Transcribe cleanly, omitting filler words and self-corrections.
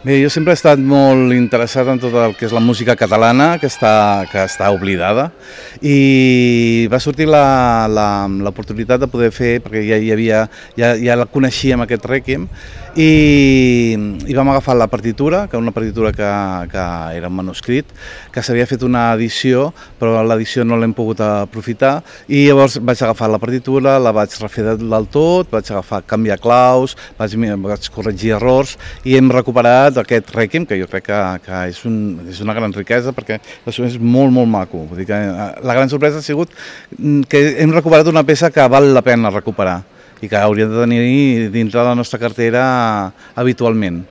Bé, jo sempre he estat molt interessat en tot el que és la música catalana, que està oblidada, i va sortir l'oportunitat de poder fer, perquè ja la coneixíem, aquest Rèquiem, i vam agafar la partitura, que era una partitura que era un manuscrit, que s'havia fet una edició, però l'edició no l'hem pogut aprofitar, i llavors vaig agafar la partitura, la vaig refer del tot, vaig canviar claus, vaig corregir errors, i hem recuperat aquest Rèquiem, que jo crec que és una gran riquesa, perquè és molt, molt maco. Vull dir que la gran sorpresa ha sigut que hem recuperat una peça que val la pena recuperar i que hauríem de tenir dintre la nostra cartera habitualment.